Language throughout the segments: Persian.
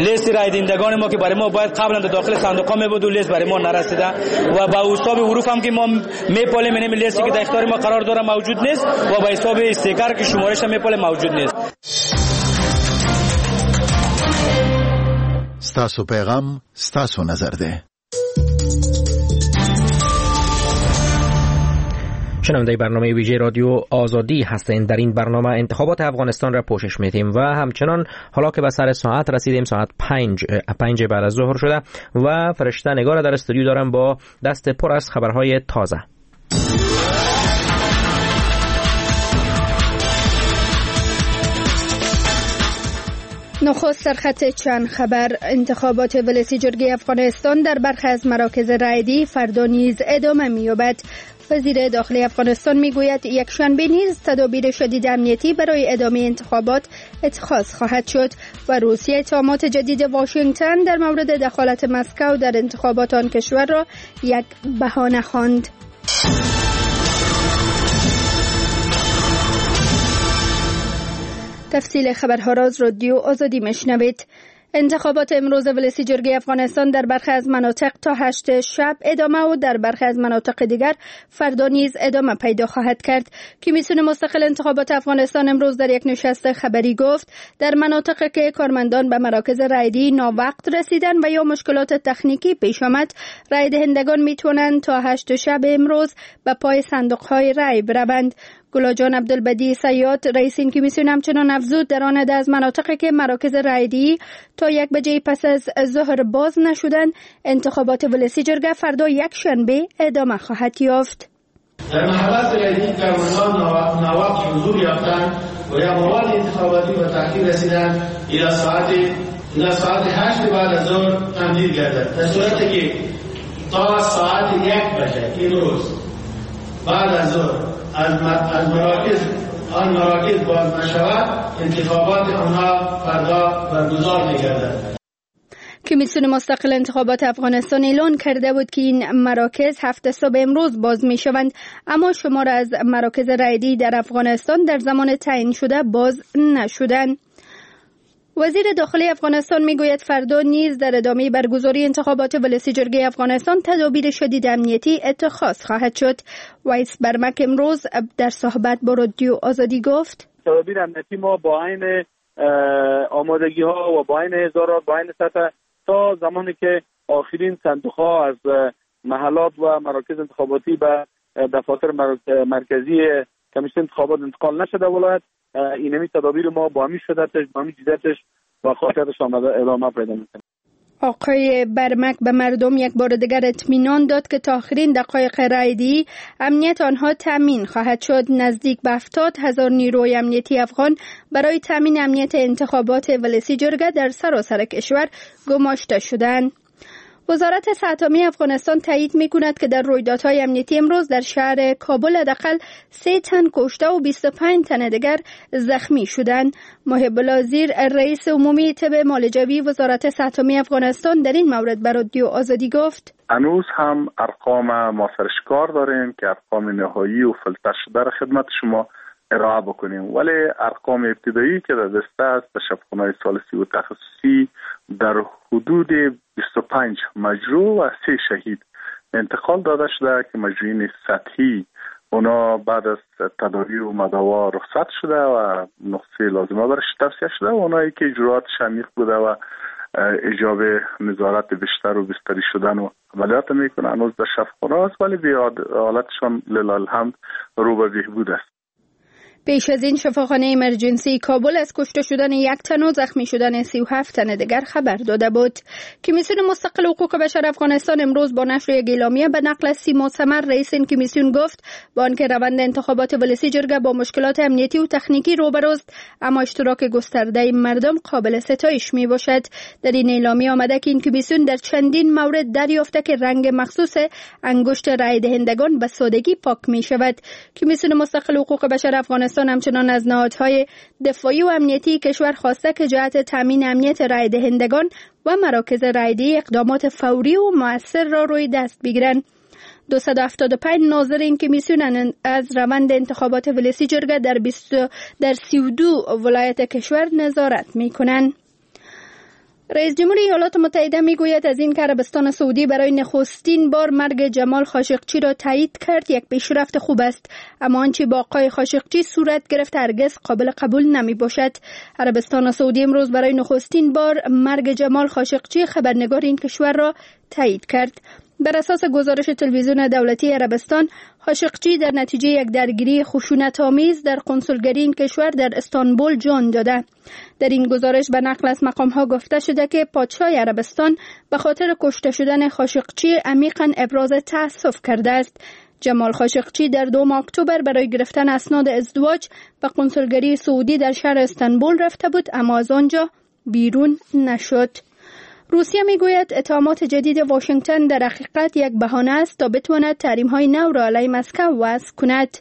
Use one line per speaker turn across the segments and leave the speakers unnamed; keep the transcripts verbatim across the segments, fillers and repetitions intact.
لیست رای دهندگان ما که برای ما باید قبلا در داخل صندوق ها می بود و لیست برای ما نرسیده و با حساب حروف هم که ما میپالیم اینم لیستی که در اختیار ما قرار داره موجود نیست و با حساب استیکر که شمارش هم میپاله موجود نیست.
ستاسو پیغام ستاسو نظر ده.
شنونده برنامه ویژه رادیو آزادی هستین. در این برنامه انتخابات افغانستان را پوشش میدیم و همچنان حالا که به سر ساعت رسیدیم، ساعت پنج پنج بعد از ظهر شده و فرشته نگار در استودیو دارم با دست پر از خبرهای تازه.
نخست سرخط چند خبر. انتخابات ولسی جرگه افغانستان در برخی از مراکز رای‌دهی فردا نیز ادامه می‌یابد. وزیر داخلی افغانستان میگوید یک شنبه نیز تدابیر شدید امنیتی برای ادامه انتخابات اتخاذ خواهد شد و روسیه اتهامات جدید واشنگتن در مورد دخالت مسکو در انتخابات آن کشور را یک بهانه خواند. تفصیل خبرها را از رادیو آزادی میشنوید. انتخابات امروز ولسی جرگه افغانستان در برخی از مناطق تا هشت شب ادامه و در برخی از مناطق دیگر فردا نیز ادامه پیدا خواهد کرد. کمیسیون مستقل انتخابات افغانستان امروز در یک نشست خبری گفت در مناطق که کارمندان به مراکز رای‌دهی ناوقت رسیدن و یا مشکلات تکنیکی پیش آمد، رای دهندگان می توانند تا هشت شب امروز به پای صندوق‌های رای بروند. گلاجان عبدالبدی سیاد رئیس این کمیسیون همچنان افزود در آن از مناطقی که مراکز رای‌دهی تا یک بجه پس از ظهر باز نشدن، انتخابات ولسی جرگه فردا یک شنبه ادامه خواهد یافت.
در محلات رای‌دهی کارمندان ناوقت حضور یافتند و یا مواد انتخاباتی به تأخیر رسیدند الى ساعت الى ساعت هشت بعد از ظهر تمدید گردد، در صورتی که تا ساعت یک بجه امروز بعد از ظهر از مراکز آن مراکز باز نشود، انتخابات آنها فردا برگزار می‌گردد.
کمیسیون مستقل انتخابات افغانستان اعلان کرده بود که این مراکز هفت صبح امروز باز می‌شوند، اما شمار از مراکز رای‌دهی در افغانستان در زمان تعیین شده باز نشدند. وزیر داخلی افغانستان میگوید فردا نیز در ادامه برگزاری انتخابات ولسی جرگه افغانستان تدابیر شدید امنیتی اتخاذ خواهد شد. ویس برمک امروز در صحبت با رادیو آزادی گفت:
تدابیر امنیتی ما با عین آمادگی ها و با عین هزارات با عین سطح تا زمانی که آخرین صندوق ها از محلات و مراکز انتخاباتی به دفاتر مرکزی کمیسیون انتخابات انتقال نشده ولایت، اینمی تدابیر ما با همین شدتش، با همین جدتش و خاصیتش ادامه پیدا میکنه.
آقای برمک به مردم یک بار دیگر اطمینان داد که تا آخرین دقایق رای‌دهی امنیت آنها تامین خواهد شد. نزدیک به هفتاد هزار نیروی امنیتی افغان برای تامین امنیت انتخابات ولسی جرگه در سراسر کشور گماشته شدند. وزارت صحت افغانستان تایید می‌کند که در رویدادهای امنیتی امروز در شهر کابل حداقل سه تن کشته و بیست و پنج تن دیگر زخمی شدند. محب الله زیر رئیس عمومی طب مالجوی وزارت صحت افغانستان در این مورد به رادیو آزادی گفت:
هنوز هم ارقام ما سرشکار داریم که ارقام نهایی و فلتر شده را خدمت شما ارائه بکنیم، ولی ارقام ابتدایی که در دست است در شفاخانه‌های ثالثی و تخصصی در حدود بیست و پنج مجروح و سه شهید انتقال داده شده که مجروحین سطحی اونا بعد از تداوی و مداوا رخصت شده و نقصه لازمه برش توصیه شده و اونایی که جراحات عمیق بوده و ایجاب نظارت بیشتر و بستری شدن و عملیات میکنه هنوز در شفاخانه است، ولی به حالتشان لله الحمد رو به بهبود است.
پیش از این شفاخانه ایمرجنسی کابل از کشته شدن یک تن و زخمی شدن سی و هفت تن دیگر خبر داده بود. کمیسیون مستقل حقوق بشر افغانستان امروز با نشر یک اعلامیه به نقل از سیما سمر رئیس این کمیسیون گفت با آنکه روند انتخابات ولسی جرگه با مشکلات امنیتی و تکنیکی روبروست، اما اشتراک گسترده مردم قابل ستایش می باشد. در این اعلامیه آمده که این کمیسیون در چندین مورد دریافته که رنگ مخصوص انگشت رای دهندگان به سادگی پاک می شود. کمیسیون مستقل حقوق بشر افغانستان همچنان از نهادهای دفاعی و امنیتی کشور خواسته که جهت تامین امنیت رای دهندگان و مراکز رای‌دهی اقدامات فوری و مؤثر را روی دست بگیرند. دویست و هفتاد و پنج ناظر این کمیسیون از روند انتخابات ولسی جرگه در بیست در سی و دو ولایت کشور نظارت می‌کنند. رئیس جمهور ایالات متحده میگوید از این که عربستان سعودی برای نخستین بار مرگ جمال خاشقچی را تایید کرد یک پیشرفت خوب است، اما آنچه با آقای خاشقچی صورت گرفت هرگز قابل قبول نمی باشد. عربستان سعودی امروز برای نخستین بار مرگ جمال خاشقچی خبرنگار این کشور را تایید کرد. بر اساس گزارش تلویزیون دولتی عربستان، خاشقچی در نتیجه یک درگیری خشونت‌آمیز در کنسولگری این کشور در استانبول جان داده. در این گزارش به نقل از مقام‌ها گفته شده که پادشاه عربستان به خاطر کشته شدن خاشقچی عمیقاً ابراز تأسف کرده است. جمال خاشقچی در دوم اکتبر برای گرفتن اسناد ازدواج به کنسولگری سعودی در شهر استانبول رفته بود، اما از آنجا بیرون نشد. روسیه میگوید اتهامات جدید واشنگتن در حقیقت یک بهانه است تا بتواند تحریم‌های نو را علیه مسکو وضع کند.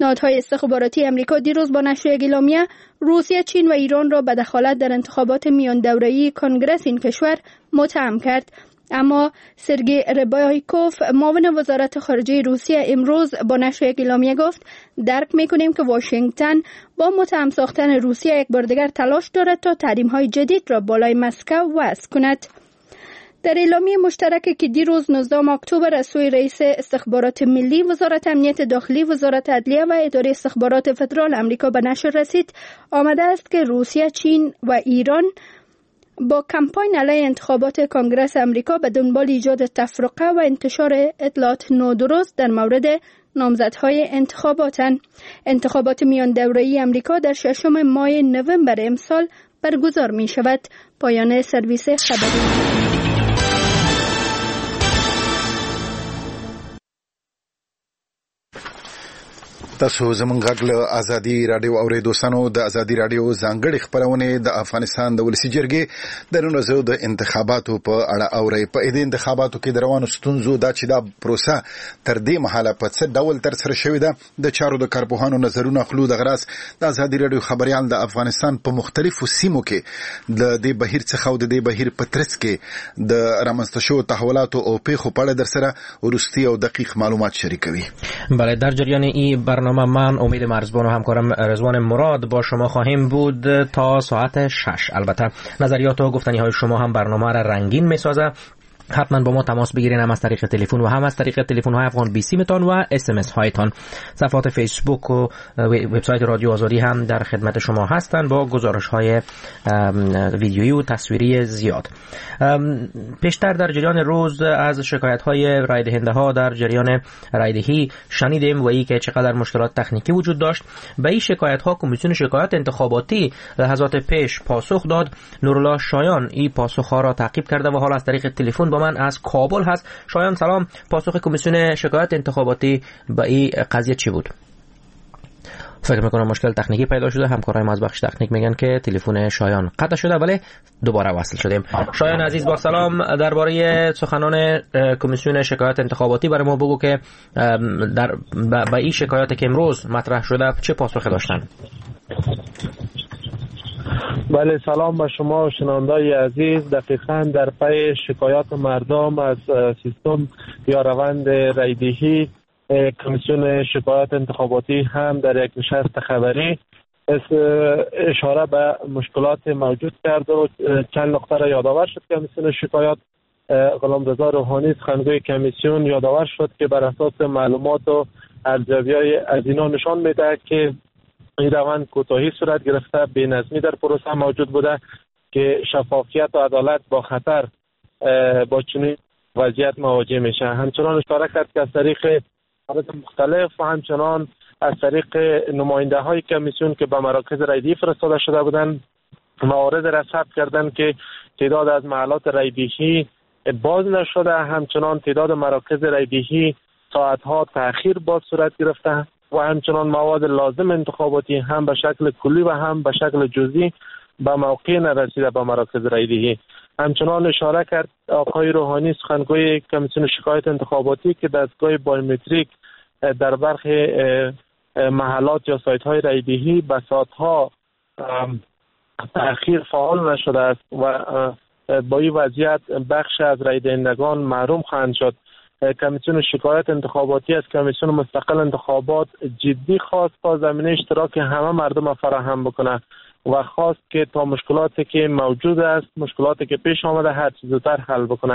نهادهای استخباراتی امریکا دیروز با نشر یک اعلامیه روسیه، چین و ایران را به دخالت در انتخابات میان دوره‌ای کنگرس این کشور متهم کرد. اما سرگی ربایکوف معاون وزارت خارجه روسیه امروز با نشر یک اعلامیه گفت درک میکنیم که واشنگتن با متهم ساختن روسیه یک بار دیگر تلاش دارد تا تحریم‌های جدید را بالای مسکو وضع کند. در اعلامیه مشترکی که دیروز نوزدهم اکتبر از سوی رئیس استخبارات ملی، وزارت امنیت داخلی، وزارت عدلیه و اداره استخبارات فدرال امریکا به نشر رسید، آمده است که روسیه، چین و ایران با کمپاین علیه انتخابات کنگرس امریکا به دنبال ایجاد تفرقه و انتشار اطلاعات نادرست در مورد نامزدهای انتخاباتند. انتخابات میان دوره‌ای امریکا در ششم ماه نوامبر امسال برگزار می شود. پایان سرویس خبری.
تاسو زمونږ غږ له ازادي رادیو اورئ. دوستانو، د ازادي رادیو ځانګړې خپرونې د افغانستان د ولسي جرګې د نن ورځې د انتخاباتو په اړه اورئ. په دې انتخاباتو کې د روانو ستونزو دا چې دا پروسه تر دې مهاله په څه ډول ترسره شوې ده، د چارو د کارپوهانو نظرونه اخلو. دغه راز د ازادي رادیو خبریال د افغانستان په مختلفو سیمو کې د دې بهیر څخه او د دې بهیر په ترڅ کې د رامنځته شوو تحولاتو او پیښو په اړه درسره وروستي او دقیق معلومات شریکوي.
بله، در جریان این برنامه من امید مرزبان و همکارم رضوان مراد با شما خواهیم بود تا ساعت شش. البته نظریات و گفتنی های شما هم برنامه را رنگین میسازه. حتما با ما تماس بگیرین، هم از طریق تلفن و هم از طریق تلفن های افغان بیسیمتان و اس ام اس هایتان. صفحات فیسبوک و وبسایت رادیو آزادی هم در خدمت شما هستند با گزارش های ویدیویی و تصویری زیاد. پیشتر در جریان روز از شکایت های رای دهنده ها در جریان رای دهی شنیدیم و ای که چقدر مشکلات تکنیکی وجود داشت. به این شکایت ها کمیسیون شکایات انتخاباتی لحظات پیش پاسخ داد. نورالله شایان این پاسخ ها را تعقیب کرده و حالا از طریق تلفن با من از کابل هست. شایان سلام، پاسخ کمیسیون شکایت انتخاباتی به این قضیه چی بود؟ فکر میکنم مشکل تکنیکی پیدا شده. همکارای ما از بخش تکنیک میگن که تلفن شایان قطع شده، ولی دوباره وصل شدیم. شایان عزیز با سلام، درباره سخنان کمیسیون شکایت انتخاباتی برای ما بگو که در به این شکایات که امروز مطرح شده چه پاسخی داشتن؟
بله، سلام به شما شنونده‌های عزیز. دقیقاً در پی شکایات مردم از سیستم یا روند رای‌دهی، کمیسیون شکایات انتخاباتی هم در یک نشست خبری اشاره به مشکلات موجود کرد و چند نقطه را یادآور شد. کمیسیون شکایات غلامرضا روحانی سخنگوی کمیسیون یادآور شد که بر اساس معلومات و ارزیابی‌های از اینا نشان می‌دهد که این روند کوتاهی صورت گرفته، بی‌نظمی در پروسه موجود بوده که شفافیت و عدالت با خطر با چنین وضعیت مواجه میشه. همچنان اشاره کرد که از طریق مختلف و همچنان از طریق نماینده های کمیسیون که به مراکز رای‌دهی فرستاده شده بودند موارد را ثبت کردند که تعداد از محلات رای‌دهی باز نشده، همچنان تعداد مراکز رای‌دهی ساعتها تأخیر باز صورت گرفته و همچنان مواد لازم انتخاباتی هم به شکل کلی و هم به شکل جزئی به موقع نرسیده به مراکز رای‌دهی. همچنان اشاره کرد آقای روحانی سخنگوی کمیسیون شکایت انتخاباتی که دستگاه بایومتریک در برخی محلات یا سایت های رای‌دهی به ساعتها تأخیر فعال نشده است و با این وضعیت بخش از رای‌دهندگان محروم خواهند شد. کمیسیون شکایت انتخاباتی از کمیسیون مستقل انتخابات جدی خواست تا زمینه اشتراک همه مردم فراهم بکنه و خواست که تا مشکلاتی که موجود است، مشکلاتی که پیش آمده هر چیز زودتر حل بکنه.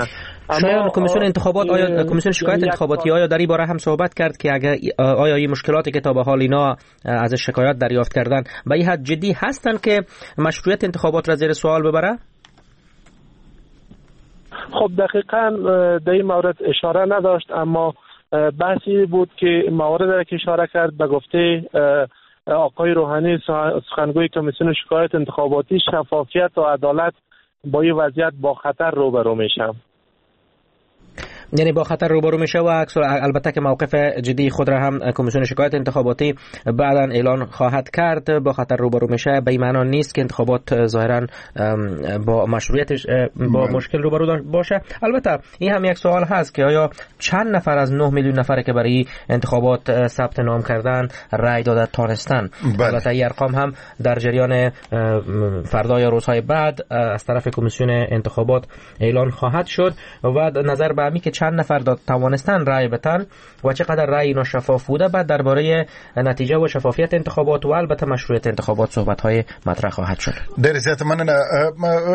شاید کمیسیون انتخابات آیا کمیسیون شکایت انتخاباتی آیا در این باره هم صحبت کرد که اگر آیا این مشکلاتی که تا به حال اینا از شکایات دریافت کردن به این حد جدی هستند که مشروعیت انتخابات را زیر سوال ببره؟
خب دقیقاً در این مورد اشاره نداشت، اما بحثی بود که موارد را که اشاره کرد به گفته آقای روحانی سخنگوی کمیسیون شکایت انتخاباتی، شفافیت و عدالت با این وضعیت با خطر روبرو میشه.
یعنی با خطر روبرو میشه و البته که موقف جدی خود را هم کمیسیون شکایت انتخاباتی بعدا اعلان خواهد کرد. با خطر روبرو میشه به این معنا نیست که انتخابات ظاهرا با مشروعیتش با مشکل روبرو باشه. البته این هم یک سوال هست که آیا چند نفر از نه میلیون نفر که برای انتخابات ثبت نام کردن رای داده تانستن؟ البته این ارقام هم در جریان فردا یا روزهای بعد از طرف کمیسیون انتخابات اعلان خواهد شد و نظر به همی که چند نفر داد توانستن رای بتن و چقدر رای اینا شفاف بوده، بعد درباره نتیجه و شفافیت انتخابات و البته مشروعیت انتخابات صحبت‌های مطرح خواهد شد.
ډېر زیات مننه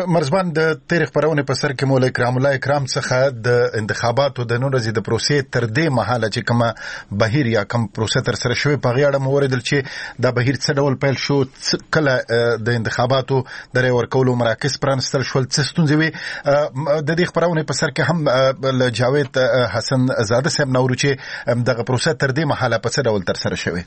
مرزبان. د تېرې خپرونې په سر کې مو له اکرام الله اکرام څخه د انتخاباتو د نن ورځې د پروسې تر دې مهاله چې کومه بهیر یا کوم پروسه تر سره شوې په هغې اړه مو واورېدل چې دا بهیر څه ډول پیل شو، کله د انتخاباتو د رای ورکولو مراکز پرانیستل شول، څه ستونزې وې. د دې خپرونې په سر کې هم له جاوید حسن زاده صاحب نه اورو چې دغه پروسه تر دې مهاله په څه ډول تر سره شوې.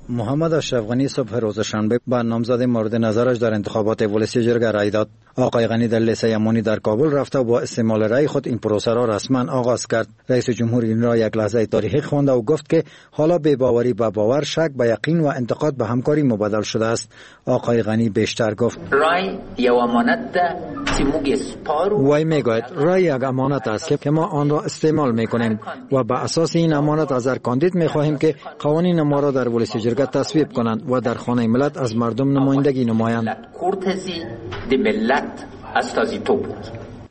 محمد اشرف غنی صبح روز شنبه با نامزد مورد نظرش در انتخابات ولسی جرگه رای داد. آقای غنی در لیسه امانی در کابل رفته و با استعمال رای خود این پروسه را رسما آغاز کرد. رئیس جمهور این را یک لحظه تاریخی خوانده و گفت که حالا بی باوری به باور، شک به یقین و انتقاد به همکاری مبادل شده است. آقای غنی بیشتر گفت:
رای یک امانت ده چې موږ سپارو.
وی میگوید رای یک امانت است که ما آن را استعمال میکنیم و به اساس این امانت از هر کاندید میخواهیم که قوانین ما را در ولسی جرگه تصویب کنند و در خانه ملت از مردم نمایندگی نمایند.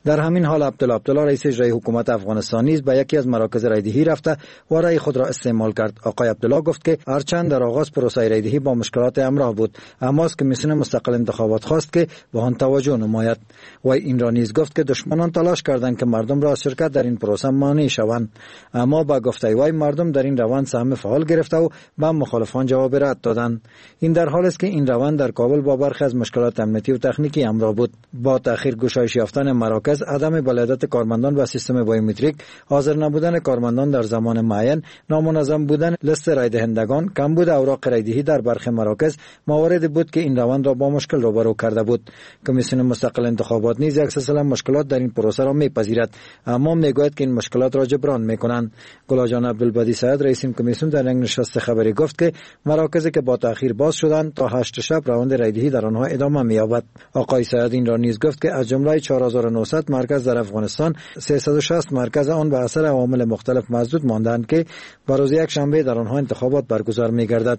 در همین حال عبدالله عبدالله رئیس اجرایی حکومت افغانستان نیز به یکی از مراکز رایدهی رفته و رای خود را استعمال کرد. آقای عبدالله گفت که هرچند در آغاز پروسه رایدهی با مشکلات همراه بود، اما از کمیسیون مستقل انتخابات خواست که به آن توجه نماید. و این را نیز گفت که دشمنان تلاش کردند که مردم را از شرکت در این پروسه مانع شوند، اما با گفته وی مردم در این روند سهم فعال گرفته و به مخالفان جواب رد دادند. این در حال است که این روند در کابل با برخی از مشکلات امنیتی و تکنیکی همراه بود. با تأخیر گشایش یافتن مراکز، عدم بلادت کارمندان و سیستم بایومتریک، حاضر نبودن کارمندان در زمان معین، نامنظم بودن لیست رای دهندگان، کمبود اوراق رایدهی در برخی مراکز موارد بود که این روند را با مشکل روبرو کرده بود. کمیسیون مستقل انتخابات نیز یک سلسله مشکلات در این پروسه را میپذیرد، اما میگوید که این مشکلات را جبران میکنند. گلاجان عبدالبدی سعد رئیس این کمیسیون در یک نشست خبری گفت که مراکزی که با تأخیر باز شدند تا هشت شب روند رایدهی در آنها ادامه مییابد. آقای سعد این را نیز گفت که از جمله چهار هزار و نهصد مرکز در افغانستان، سیصد و شصت مرکز آن به اثر عوامل مختلف مسدود ماندند که بر روز یک شنبه در آنها انتخابات برگزار می‌گردد.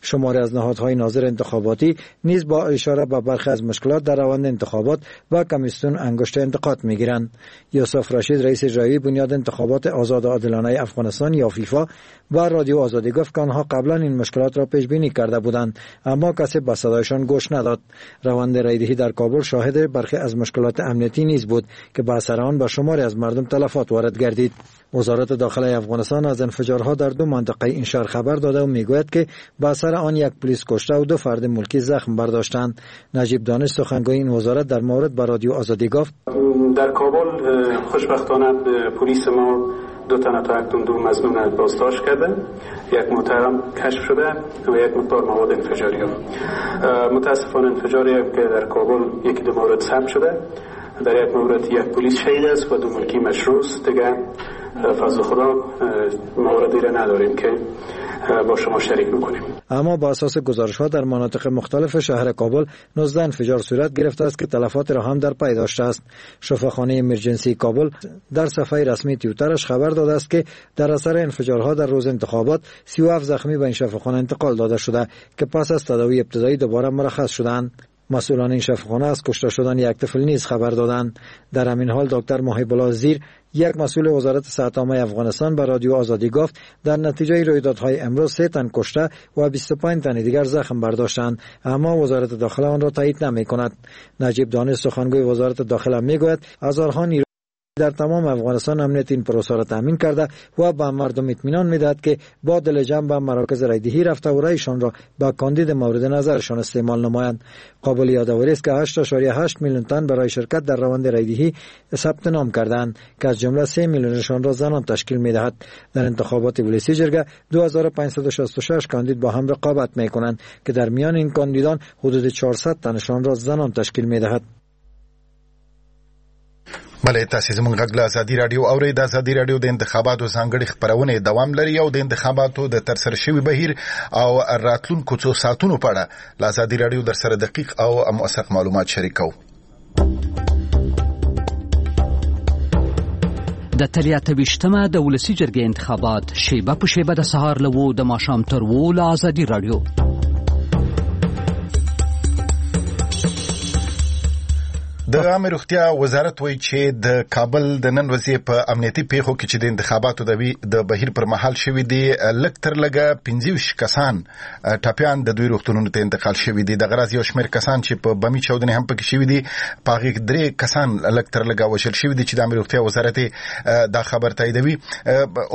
شماری از نهادهای ناظر انتخاباتی نیز با اشاره به برخی از مشکلات در روند انتخابات و کمیسیون انگشت انتقاد می‌گیرند. یوسف رشید رئیس اجرایی بنیاد انتخابات آزاد و عادلانه افغانستان یا فیفا و رادیو آزادی گفت که آنها قبلا این مشکلات را پیش بینی کرده بودند، اما کسی به صدایشان گوش نداد. روند رایدهی در کابل شاهد برخی از مشکلات امنیتی نیز بود که به اثر آن به شماری از مردم تلفات وارد گردید. وزارت داخله افغانستان از انفجارها در دو منطقه این شهر خبر داده و میگوید که به اثر آن یک پلیس کشته و دو فرد ملکی زخم برداشتند. نجیب دانش سخنگوی این وزارت در مورد به رادیو آزادی گفت:
در کابل خوشبختانه پلیس ما دو تن تا اکنون دو مظنون بازداشت کرده، یک موتر کشف شده و یک مقدار مواد انفجاری. متاسفانه انفجاری که در کابل یکی دو مورد ثبت شده، در یک مورد یک پلیس شهید است و دو ملکی مجروح. دیگه فضل خدا موردی را نداریم که با شما شریک بکنیم.
اما با اساس گزارش‌ها در مناطق مختلف شهر کابل نوزده انفجار صورت گرفته است که تلفات را هم در پی داشته است. شفاخانه ایمرجنسی کابل در صفحه رسمی توییترش خبر داده است که در اثر انفجارها در روز انتخابات سی و هفت زخمی به این شفاخانه انتقال داده شده که پس از تداوی ابتدایی دوباره مرخص شدند. مسئولان این شفاخانه از کشته شدن یک طفل نیز خبر دادند. در همین حال دکتر محب الله زیر، یک مسئول وزارت صحت عامه افغانستان، به رادیو آزادی گفت در نتیجه رویدادهای امروز سه تن کشته و بیست و پنج تن دیگر زخم برداشتند، اما وزارت داخله آن را تایید نمی کند. نجیب دانش، سخنگوی وزارت داخله، میگوید هزارها نیرو در تمام افغانستان امنیت این پروسه را تامین کرده و به مردم اطمینان میدهد که با دل جمع به مراکز رایدهی رفته و رایشان را به کاندید مورد نظرشان استعمال نمایند. قابل یادآوری است که هشت ممیز هشت میلیون تن برای شرکت در روند رایدهی ثبت نام کردند که از جمله سه میلیونشان را زنان تشکیل میدهد. در انتخابات ولسی جرگه دو هزار و پانصد و شصت و شش کاندید با هم رقابت میکنند که در میان این کاندیدان حدود چهارصد تنشان را زنان تشکیل میدهد.
بله، تاسو زموږ غږ له ازادي رادیو اورئ. د ازادي رادیو د انتخاباتو ځانګړې خپرونې دوام لري او د انتخاباتو د ترسره شوي بهیر او راتلونکو څو ساعتونو په اړه له ازادي رادیو در سره دقیق او موثق معلومات شریکوو.
د تلې اته ویشتمه د ولسي جرګې انتخابات شیبه په شیبه د سهار له اوو د ماښام تر اوو له ازادي رادیو.
د عامې روغتیا وزارت وایي چې د کابل د نن ورځې په امنیتي پیښو کې چې د انتخاباتو د بهیر پر مهال شوي دي، لږ تر لږه پنځه ویشت کسان ټپیان د دوی روغتونونو ته انتقال شوي دي. دغه راز یو شمېر کسان چې په بمي چاودنې هم پکې شوي دي، په هغې کې درې کسان لږ تر لږه وژل شوي دي چې د عامې روغتیا وزارت دا خبر تاییدوي.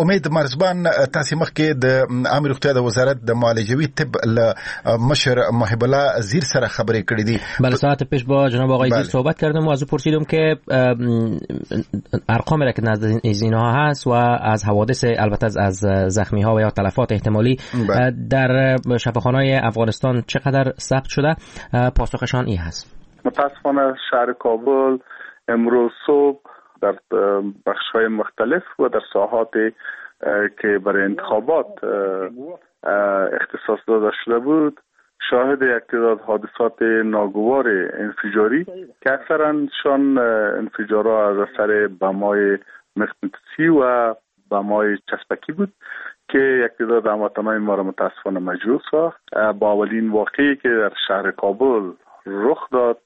امید مرزبان، تاسې مخکې د عامې روغتیا د وزارت د معالجوي طب له مشر محب الله زیر سره خبرې کړې دي.
بله، ساعت پیش با جناب آقای زیر صحبت کردم و از او پرسیدم که ارقامی را که نزد اینها هست و از حوادث، البته از زخمی ها و یا تلفات احتمالی در شفاخانه‌های افغانستان چقدر ثبت شده، پاسخشان این هست.
متاسفانه شهر کابل امروز صبح در بخش‌های مختلف و در ساحات که برای انتخابات اختصاص داده شده بود، شاهد یک تعداد حادثات ناگوار انفجاری که اکثرا شان انفجارها از اثر بمای مغناطیسی و بمای چسبکی بود که یک تعداد هموطنان ما را متاسفانه مجروح ساخت. با اولین واقعی که در شهر کابل رخ داد،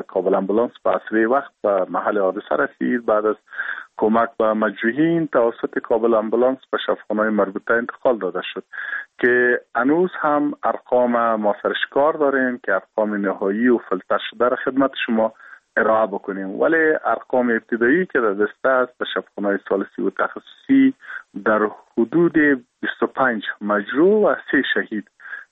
کابل امبولانس به اسرع وقت به محل حادثه رسید. بعد از کمک به مجروحین توسط کابل امبولانس به شفاخانه‌های مربوطه انتقال داده شد که هنوز هم ارقام ما سرشکار داریم که ارقام نهایی و فلتر شده را خدمت شما ارائه بکنیم، ولی ارقام ابتدایی که در دست است به شفاخانه‌های ثالثی و تخصصی در حدود بیست و پنج مجروح و سه شهید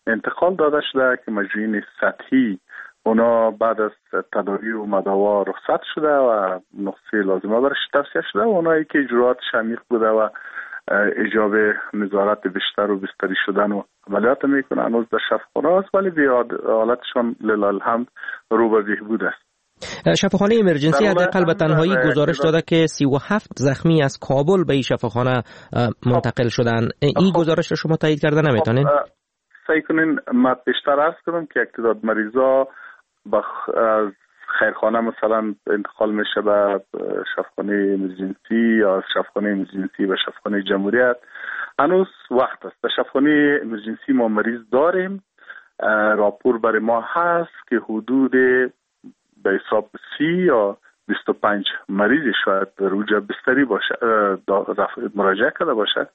انتقال داده شده که مجروحین سطحی اونا بعد از تداوی و مداوا رخصت شده و نقصه لازمه برش توصیه شده و اونایی که جراحاتش عمیق بوده و ایجاب نظارت بیشتر و بستری شدن و عملیات میکنه هنوز در شفاخانه است، ولی به حالتشان لله الحمد رو به بهبود است.
شفاخانه امرجنسی حداقل به تنهایی گزارش داده که سی و هفت زخمی از کابل به این شفاخانه منتقل شدن. این گزارش را شما تایید کرده نمیتونین؟
سعی کنین، ما بیشتر عرض کردم که یک تعداد مریضا بخ... از خیرخانه مثلا انتقال میشه به شفاخانه امرجنسی یا از شفاخانه امرجنسی به شفاخانه جمهوریت. هنوز وقت است. در شفاخانه امرجنسی ما مریض داریم، راپور برای ما هست که حدود به حساب سی یا بیست و پنج مریض شاید در بستری باشه مراجعه کرده باشه،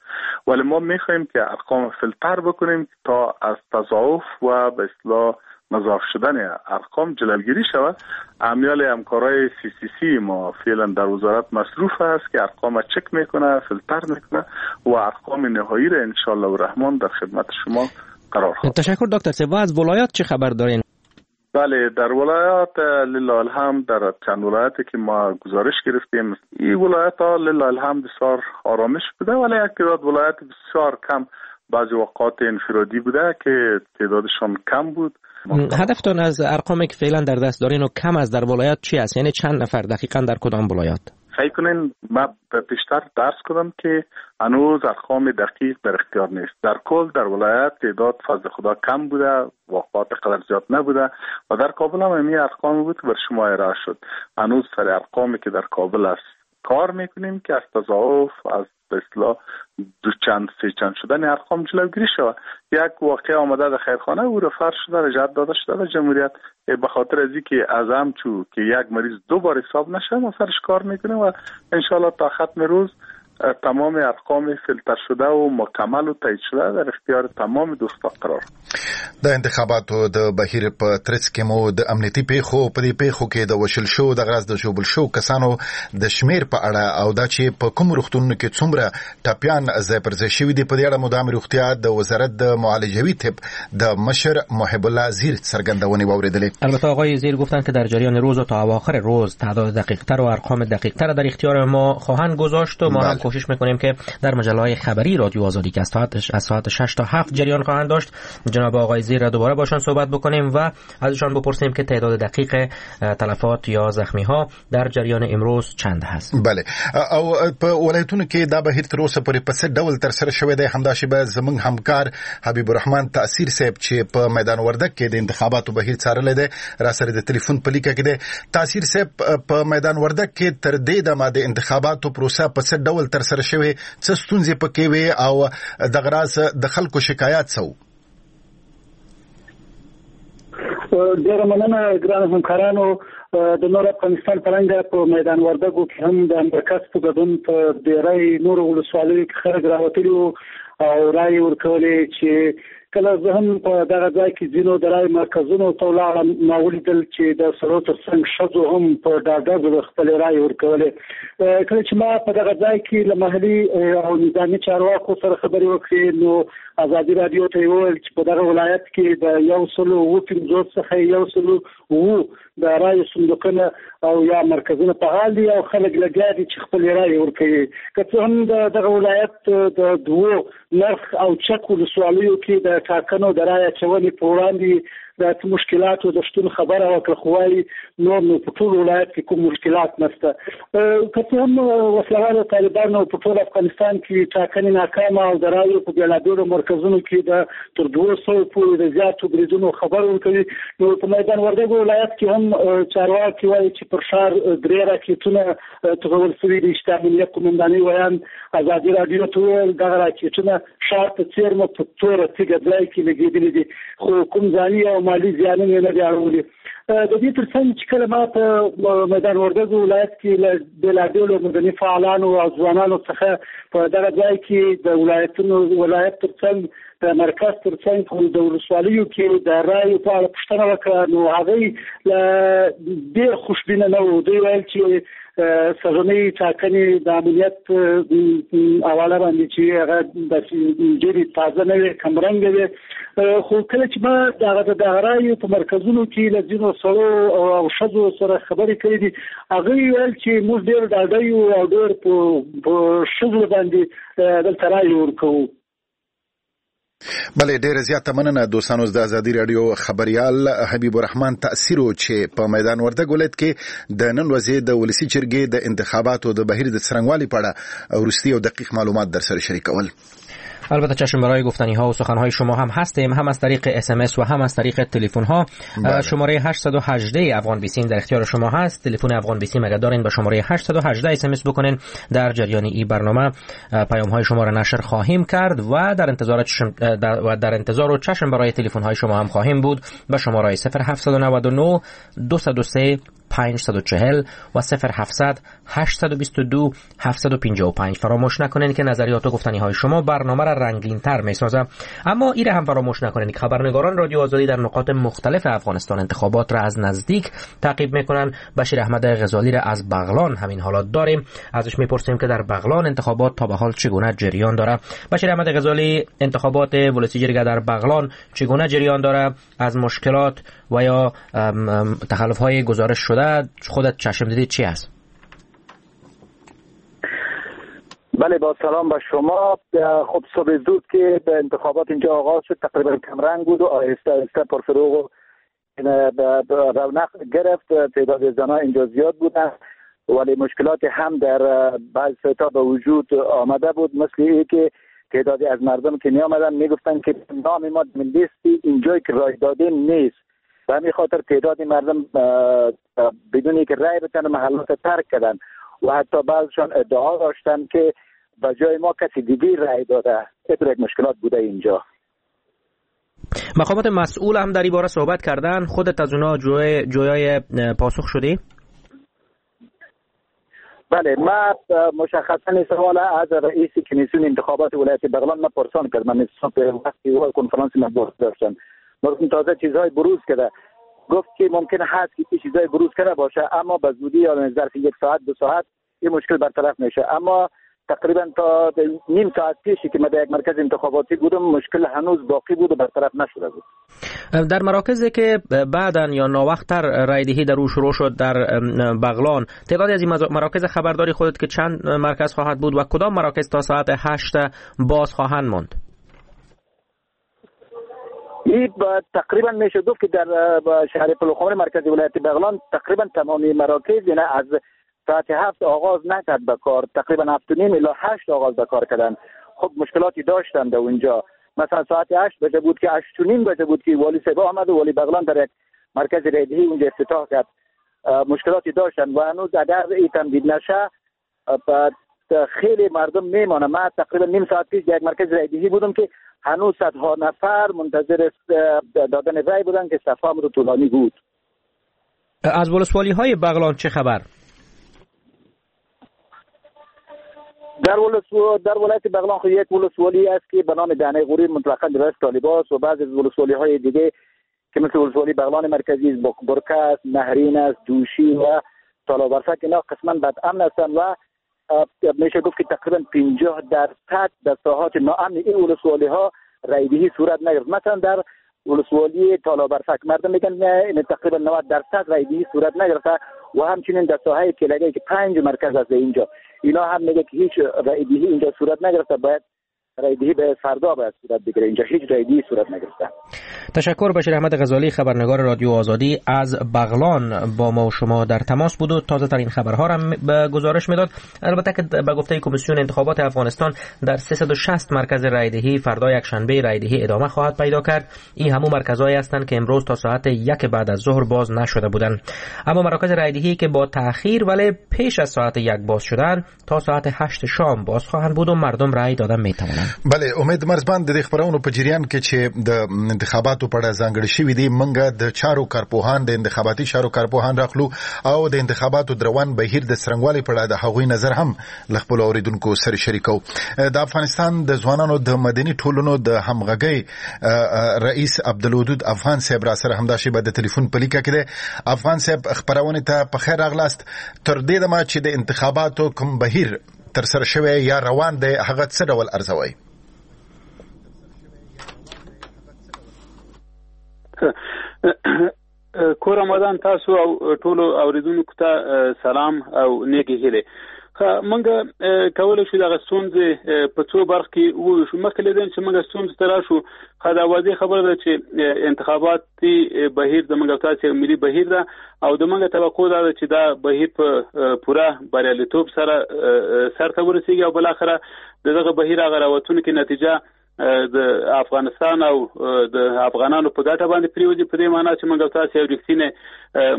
ولی ما میخوایم که ارقام فیلتر بکنیم تا از تضاعف و به اصطلاح مضاعف شدن ارقام جلوگیری شود. امیال همکارای سی سی سی ما فعلا در وزارت مصروف است که ارقام چک میکنه، فیلتر میکنه و ارقام نهایی را انشالله الرحمن در خدمت شما قرار خواهد.
تشکر دکتر صاحب. از ولایات چه خبر دارین؟
بله، در ولایات لله الحمد در چند ولایتی که ما گزارش گرفتیم، این ولایت ها لله الحمد بسیار آرامش بوده، ولی یک تعداد ولایت بسیار کم بعضی اوقات انفرادی بوده که تعدادشان کم بود.
هدفتان از ارقامی که فعلا در دست دارین و کم از در ولایات چی است؟ یعنی چند نفر دقیقاً در کدام ولایات؟
سعی کنین، ما پیشتر درس کردم که هنوز ارقام دقیق در اختیار نیست. در کل در ولایت تعداد فضل خدا کم بوده، واقعات قدر زیاد نبوده و در کابل هم همین ارقام بود که بر شما ارائه شد. هنوز سر ارقامی که در کابل است کار میکنیم که از تضاعف، از به اصطلاح دو چند سه چند شدن ارقام جلوگیری شود. یک واقعه آمده در خیرخانه، او رفر شده، رجعت داده شده به جمهوریت، به خاطر از اینکه از همچو که یک مریض دو بار حساب نشه ما سرش کار میکنیم و انشالله تا ختم روز تمام ارقام فیلتر شده و مکمل و تایید شده در اختیار تمام دوستان قرار.
د انتخاباتو د بهیر په ترڅ کې مو د امنیتي پیښو په دې پیښو کې د وژل شو، د غرض د ژوبل شو کسانو د شمیر په اړه او دا چې په کوم روغتونونو کې څومره ټپیان ځای پر ځای شوي دي، په دې اړه مو د عامې روغتیا د وزارت د معالجوي طب د مشر محب الله زیر څرګندونې واورېدلې.
البته آقای زیر گفتند که در جریان روز و تا اواخر روز تعداد دقیق‌تر و ارقام دقیق‌تر در اختیار ما خواهند گذاشت و ما هم کوشش میکنیم که در مجله خبری رادیو آزادی که از ساعت از ساعت شش تا هفت جریان خواهند داشت، جناب آقای زیر را دوباره باشان صحبت بکنیم و ازشان بپرسیم که تعداد دقیق تلفات یا زخمی ها در جریان امروز چند هست.
بله، او په ولایتونو کې دا بهیر تر اوسه پورې په څه ډول تر سره شوی دی، همدا شیبه زموږ همکار حبیب الرحمن تاثیر صاحب چې په میدان وردک کې د انتخاباتو بهیر څارلی دی را سره د تلیفون په لیکه کې دی. تاثیر صاحب، په میدان وردک کې تر دې دمه د انتخاباتو پروسه په څه ډول تر سره شوې، څه ستونزې پکې وې او دغه راز د خلکو شکایات څه وو؟
ډېره مننه ګرانو همکارانو. د نور افغانستان په رنګه په میدان وردګو کې هم د مرکز په ګډون په ډېری نورو ولسوالیو کې خلک راوتلي وو او رایې ورکولې. چې کله زه هم په دغه ځای کې ځینو د رایې مرکزونو ته ولاړم، ما ولیدل چې د سړو تر څنګ ښځو هم په ډاډه زړه خپلې رایې ورکولې. کله چې ما په دغه ځای کې له محلي او نظامي چارواکو سره خبرې وکړې، نو ازادي راډیو ته یې وویل چې په دغه ولایت کې د یو سل اووه پنځوس څخه یو سل اووه د رایو صندوقونه او یا مرکزونه فعال دي او خلک لګیا دي چې خپلې رایې ورکوي. که څه هم د دغه ولایت د دوو نرخ او چک ولسوالیو کې د ټاکنو د رایې اچونې په وړاندې د څه مشکلاتو د شتون خبره وکړه، خو وایي نور نو په ټول ولایت کې کوم مشکلات نشته. که څه هم وسلهوالو طالبانو په ټول افغانستان کې ټاکنې ناکامه او د رایو په بېلابېلو مرکزونو کې د تر دوو سوو پورې د زیاتو بریدونو خبر ورکوي، نو په میدان وردګو ولایت کې هم چارواکي وایي چې پر ښار درې راکټونه توغول شوي دي. چې د امنیه قومندانۍ ویاند ازادي راډیو ته وویل دغه راکټونه ښار ته څېرمه په توره تیږه ځای کې لګېدلي دي، خو کوم ځاني او مالي زیانونه یې نه دي اړولي. د دې ترڅنګ چې کله ما په میدان وردګو ولایت کې له بېلابېلو مدني فعالانو او ځوانانو څخه په دغه ځای کې د ولایتونو ولایت ترڅنګ د مرکز ترڅنګ د ولسوالیو کې د رایو په اړه پوښتنه وکړه، نو هغوی ډېر خوشبینه نه وو. دوی ویل چې سږنۍ ټاکنې د امنیت حواله باندې چې هغه داسې ډېرې تازه نه وې، کمرنګه وې. خو کله چې ما دغه د دغه رایو په مرکزونو کې له ځینو سړو او ښځو سره خبرې کړې دي، هغوی ویل چې موږ ډېر ډاډه یو او ډېر په ښځو باندې دلته رایې ورکوو.
بله، ډیره زیاته مننه دوستانو. د ازادي راډیو خبریال حبیب الرحمن تاثیر چې په میدان وردګ ولایت کې د نن ورځې د ولسی جرګې د انتخاباتو د بهیر د څرنګوالي په اړه وروستي او دقیق معلومات در سره شریکول.
البته چشم برای گفتنی ها و سخن های شما هم هستیم، هم از طریق اس ام اس و هم از طریق تلفن ها. شماره هشت یک هشت افغان بیسیم در اختیار شما هست. تلفن افغان بیسیم اگر دارین با شماره هشت یک هشت اس ام اس بکنین، در جریان این برنامه پیام های شما را نشر خواهیم کرد و در انتظار چشم در و در انتظار و چشم برای تلفن های شما هم خواهیم بود با شماره صفر هفت نه نه دو صفر سه پنج چهار و صفر هفت صفر هشت دو دو هفت پنج پنج. فراموش نکنین که نظریات و گفتنی های شما برنامه را رنگین تر می سازه. اما ایره هم فراموش نکنین که خبرنگاران رادیو آزادی در نقاط مختلف افغانستان انتخابات را از نزدیک تعقیب میکنن. بشیر احمد غزالی را از بغلان همین حالات داریم، ازش میپرسیم که در بغلان انتخابات تا به حال چگونه جریان داره. بشیر احمد غزالی، انتخابات ولسی جرگه در بغلان چگونه جریان داره؟ از مشکلات و یا تخلف های گزارش شده خودت چشم دیدی چی است؟
بله، با سلام به شما. خب صبح زود که به انتخابات اینجا آغاز شد تقریبا کمرنگ بود و آهسته آهسته پرفروغ و رونق گرفت. تعداد زنها اینجا زیاد بودن، ولی مشکلات هم در بعض سایت‌ها به وجود آمده بود، مثل این که تعدادی از مردم که می آمدن میگفتن که نام ما لیستی اینجایی که رای دادیم نیست. به همین خاطر تعداد مردم بدون اینکه رای بدن محلات ترک کردن. و حتی بعضشان ادعا داشتن که به جای ما کسی دیگه رأی داده. اینطور یک مشکلات بوده اینجا.
مقامات مسئول هم در این باره صحبت کردن، خودت از اونا جوی جویای پاسخ شدی؟
بله، ما مشخصا سوال از رئیس کمیسیون انتخابات ولایت بغلان ما پرسان کردم. من صبح وقتی او کنفرانس مطبوعات داشتم، گفتم تازه چیزهای بروز کرده. گفت که ممکن هست که چیزهای بروز کرده باشه، اما به زودی یا ظرف یک ساعت دو ساعت این مشکل برطرف میشه. اما تقریبا تا نیم ساعت پیش که من در یک مرکز انتخاباتی بودم مشکل هنوز باقی بود و برطرف نشده بود.
در مراکزی که بعداً یا ناوقت‌تر رای دهی در او شروع شد در بغلان، تعدادی از این مراکز خبرداری خودت که چند مرکز خواهد بود و کدام مراکز تا ساعت هشت باز خواهند ماند؟
این تقریبا میشه گفت که در شهر پلوخمر مرکز ولایت بغلان تقریبا تمامی مراکز یعنی از ساعت هفت آغاز نکرد به کار، تقریبا هفت و نیم الی هشت آغاز به کار کردن. خب مشکلاتی داشتن در اونجا. مثلا ساعت هشت بجه بود که هشت و نیم بجه بود که والی صاحب آمد و والی بغلان در یک مرکز رایدهی اونجا افتتاح کرد. مشکلاتی داشتن و هنوز اگر این تمدید نشه خیلی مردم میمانه. من تقریبا نیم ساعت پیش در یک مرکز رایدهی بودم که هنوز صدها نفر منتظر دادن رای بودن که صف هم رو طولانی بود.
از ولسوالی های بغلان چه خبر؟
در ولسو در ولایت بغلان خو یک ولسوالی است که به نام دهنه غوری مطلقاً در دست طالبان و بعضی از ولسوالی های دیگه که مثل ولسوالی بغلان مرکزی است، برکه است، نهرین است، دوشی و تالابرفک، اینا قسما بد امن هستند و میشه گفت که تقریبا پنجاه درصد در ساحات ناامن این ولسوالی ها رایدهی صورت نگرفت. مثلا در ولسوالی تالابرفک مردم میگن نه تقریبا نود درصد رایدهی صورت نگرفته و همچنین در ساحه کلگه که پنج مرکز است اینجا، اینا هم میگه که هیچ رایدهی اینجا صورت نگرفته، باید رایدهی به فردا باید صورت بگیره، اینجا هیچ رایدهی صورت نگرفته.
تشکر. بشیر احمد غزالی خبرنگار رادیو آزادی از بغلان با ما و شما در تماس بود و تازه ترین خبرها را به گزارش میداد. البته که به گفته کمیسیون انتخابات افغانستان در سیصد و شصت مرکز رایدهی فردا یک شنبه رایدهی ادامه خواهد پیدا کرد. این همون مرکزهایی هستند که امروز تا ساعت یک بعد از ظهر باز نشده بودند. اما مراکز رایدهی که با تأخیر ولی پیش از ساعت یک باز شدن تا ساعت هشت شام باز خواهند بود و مردم رای دادن میتوانند.
بله، امید مرزبان د دې خبرونو په جریان کې چې د انتخاباتو په اړه ځانګړې شوې دي، موږ د چارو کارپوهان د انتخاباتي چارو کارپوهان راخلو او د انتخاباتو د روان بهیر د څرنګوالي په اړه د هغوی نظر هم له خپلو اورېدونکو سره شریکو. د افغانستان د ځوانانو د مدني ټولنو د همغږۍ رئیس عبدالودود افغان صاحب را سره همدا شیبه د تلیفون په لیکه کې دی. افغان صاحب، خپرونې ته په خیر راغلاست. تر دې دمه چې د انتخاباتو کوم بهیر تر سره شوی یا روان دی، هغه څه ډول ارزوي؟
کور آمدن تاسو او ټولو اوریدونکو ته سلام او نیکې هیلې. موږ کولی شو دغه ستونزې په څو برخو کې وویشو. مخکې له دې چې موږ ستونزو ته راشو، ښه دا واضح خبره ده چې انتخاباتي بهیر زموږ او تاسو یو ملي بهیر ده او د موږ توقع دا ده چې دا بهیر په پوره بریالیتوب سره سرته ورسیږي او بالاخره د دغه بهیر هغه راوتونکې نتیجه د افغانستان او د افغانانو په ګټه باندې پریوځي، په دې معنی چې موږ تاسو یو رښتینې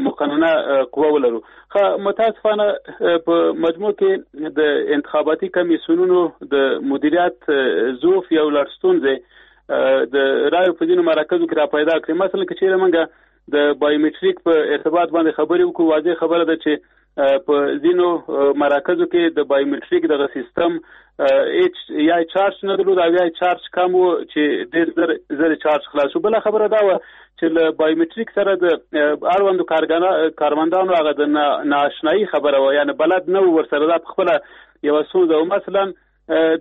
مقننه قوه ولرو. ښه، متاسفانه په مجموع کې د انتخاباتي کمیسیونونو د مدیریت ضعف یو لړ ستونزې د رایو په ځینو مراکزو کې را پیدا کړې. مثلا که چیرې موږ د بایومټریک په ارتباط باندې خبرې وکړو، واضح خبره ده چې په ځینو مراکزو کې د بایومټریک دغه سیستم هیڅ یا چارج نه درلود او یا چارج کم و چې ډېر زر زر چارج خلاص شو. بله خبره دا وه چې له بایومټریک سره د اړوندو کارمندانو هغه د نااشنایي خبره وه، یعنې بلد نه و ورسره، دا په خپله یوه ستونزه وه. مثلا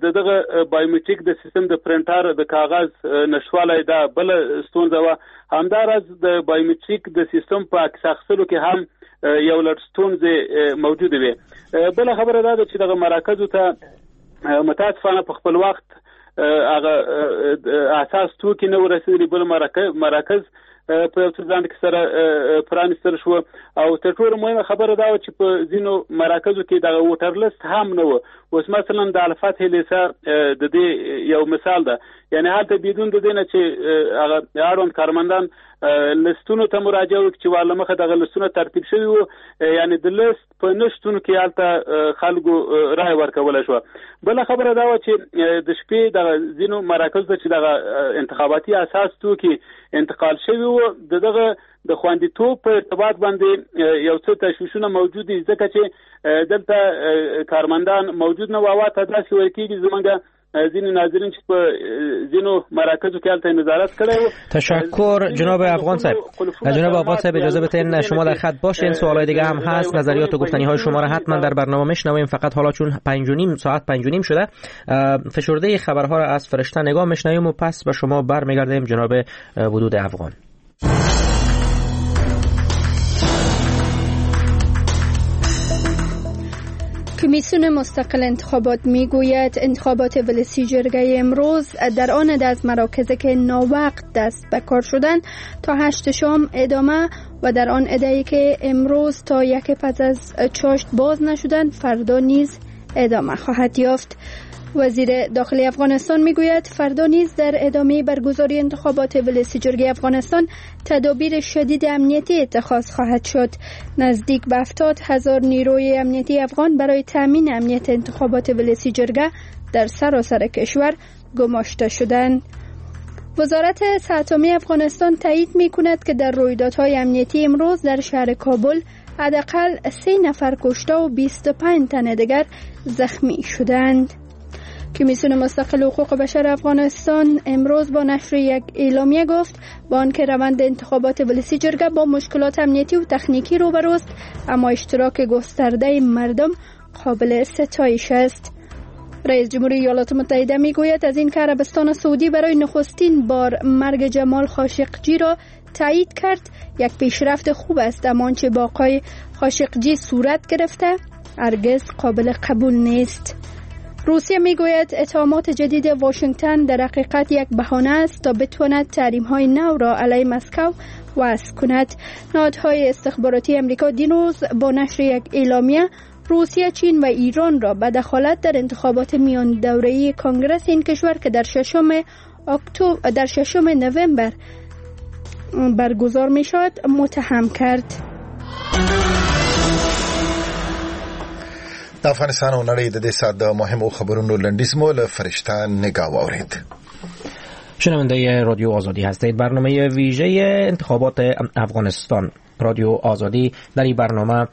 د دغه بایومټریک د سیستم د پرنټر د کاغذ نشتوالی دا بله ستونزه وه. همداراز د بایومټریک د سیستم په عکس اخیستلو کې هم یو لړ ستونزې موجودې وې. بله خبره دا ده چې دغه مراکزو ته متاسفانه په خپل وخت هغه اساس توکي نه ورسېدلي. بل مراکز په یو څه ځنډ کې سره پرانیستل شو. او تر ټولو مهمه خبره دا وه چې په ځینو مراکزو کې دغه ووټر لست هم نه و. اوس مثلا د الفتح لیسه د دې یو مثال ده، یعنی هلته بدون د دې نه چې هغه اړوند کارمندان لستونو ته مراجعه وکړي چې ور له مخه دغه لستونه ترتیب شوي وو، یعنی د لست په نشتون کې هلته خلکو رای ورکولی شوه. بله خبره دا وه چې د شپې دغه ځینو مراکزو ته چې دغه انتخاباتي اساس توکي انتقال شوي وو، د دغه د خوندیتوب په ارتباط باندې یو څه تشویشونه موجود دي، ځکه چې دلته کارمندان موجود نه وو. او ته داسې ویل کېږي زمونږ ځینې ناظرین چې په ځینو مراکزو کې هلته نظارت کړی وو.
تشکر جناب افغان صاحب. جناب افغان صاحب اجازه بدین شما در خط باشین، سوالای دیگه هم هست، نظریات و گفتنی های شما را حتما در برنامه میشنویم. فقط حالا چون پنج و نیم ساعت پنج و نیم شده، فشرده خبرها را از فرشته نگاه میشنویم و پس به شما برمیگردیم جناب ودود افغان.
کمیسیون مستقل انتخابات میگوید انتخابات ولسی جرگه امروز در آن عده از مراکز که ناوقت دست به کار شدند تا هشت شام ادامه و در آن عده‌ای که امروز تا یک پس از چاشت باز نشدند فردا نیز ادامه خواهد یافت. وزیر داخلی افغانستان میگوید فردا نیز در ادامه برگزاری انتخابات ولسی جرگه افغانستان تدابیر شدید امنیتی اتخاذ خواهد شد. نزدیک به هفتاد هزار نیروی امنیتی افغان برای تامین امنیت انتخابات ولسی جرگه در سراسر کشور گماشته شدند. وزارت صحت عامه افغانستان تایید میکند که در رویدادهای امنیتی امروز در شهر کابل حداقل سه نفر کشته و بیست و پنج تن دیگر زخمی شدند. کمیسیون مستقل حقوق بشر افغانستان امروز با نشر یک اعلامیه گفت با آنکه روند انتخابات ولسی جرگه با مشکلات امنیتی و تکنیکی روبروست، اما اشتراک گسترده مردم قابل ستایش است. رئیس جمهوری ایالات متحده میگوید از این که عربستان سعودی برای نخستین بار مرگ جمال خاشقجی را تایید کرد یک پیشرفت خوب است، اما آنچه با آقای خاشقجی صورت گرفته هرگز قابل قبول نیست. روسیه میگوید اتهامات جدید واشنگتن در حقیقت یک بهانه است تا بتواند تحریم‌های نو را علیه مسکو وضع کند. نهادهای استخباراتی امریکا دیروز با نشر یک اعلامیه روسیه، چین و ایران را به دخالت در انتخابات میان دوره‌ای کنگرس این کشور که در ششم اکتبر در ششم نوامبر برگزار می‌شود متهم کرد.
د افغانستان او نړۍ د دې ساعت د مهمو خبرونو لنډیز مو له فرشته نگاه واورید.
شنونده رادیو آزادی هستید، برنامه ویژه انتخابات افغانستان. رادیو آزادی در این برنامه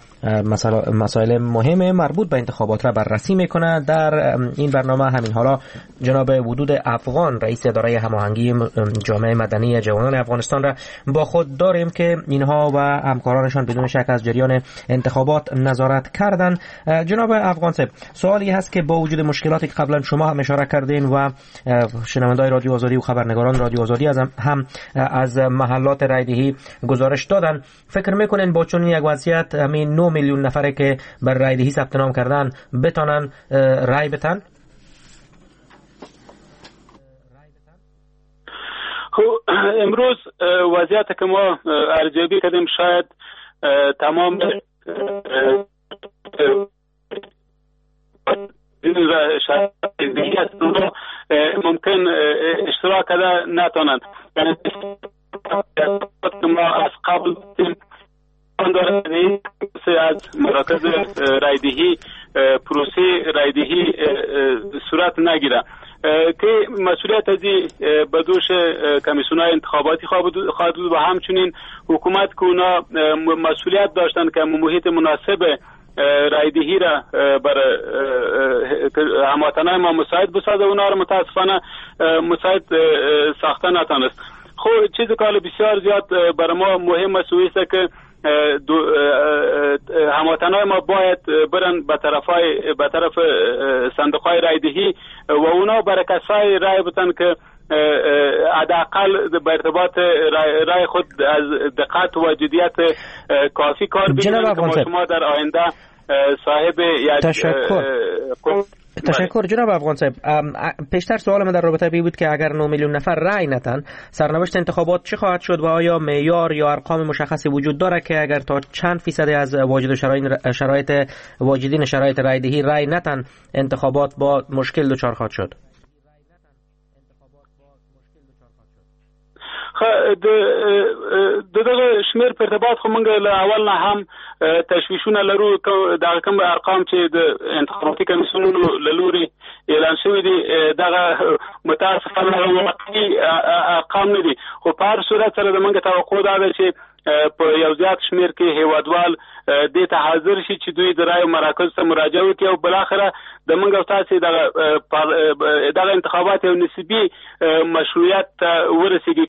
مسائل مهم مربوط به انتخابات را بررسی میکنه. در این برنامه همین حالا جناب ودود افغان رئیس اداره هماهنگی جامعه مدنی جوانان افغانستان را با خود داریم که اینها و همکارانشان بدون شک از جریان انتخابات نظارت کردند. جناب افغان صاحب، سوالی هست که با وجود مشکلاتی که قبلا شما هم اشاره کردین و شنونده‌های رادیو آزادی و خبرنگاران رادیو آزادی از هم از محلات رای‌دهی گزارش دادن، فکر میکنین با چنین یک وضعیت همین نه میلیون نفره که بر رای دهی ثبت نام کردن بتانن رای بتن؟
خب امروز وضعیت که ما ارزیابی کردیم شاید تمام ممکن اشتراک کرده نتانند. یعنی ما از قبل از مراکز رایدهی پروسه رایدهی صورت نگیره که مسئولیت ازی به دوش کمیسیون‌های انتخاباتی خواهد بود و همچنین حکومت که اونا مسئولیت داشتن که محیط مناسب رایدهی را بر هموطنان ما مساعد بسازه، اونا را متاسفانه مساعد ساخته نتانست. خب چیزی که بسیار زیاد بر ما مهم است است که هموطنان ما باید برن به طرفای به طرف صندوق‌های رایدهی و اونا بر کسای رای بتن که حداقل به ارتباط رای, رای خود از دقت و جدیت کافی کار بگیرن که ما شما در آینده صاحب یک
تشکر. تشکر جناب افغان صاحب. پیشتر سوال من در رابطه به بود که اگر نه میلیون نفر رأی ندن سرنوشت انتخابات چه خواهد شد و آیا معیار یا ارقام مشخصی وجود داره که اگر تا چند فیصد از واجد شرایط شرایط واجدین شرایط رأی دهی رأی ندن انتخابات با مشکل دچار خواهد شد؟
د دغه شمیر په ارتباط خو موږ له اول نه هم تشویشونه لرو. دغه کوم ارقام چې د انتخاباتي کمیسیونونو له لوري اعلان شوي دي دغه متاسفانه واقعي ارقام نه دي، خو په هر صورت سره د موږ توقع دا ده چې په یو زیات شمیر کې هیوادوال دې ته حاضر شي چې دوی د رایو مراکز ته مراجعه وکړي او بالاخره د موږ او تاسې دغه دغه انتخابات یو نسبي مشروعیت ته ورسیږي.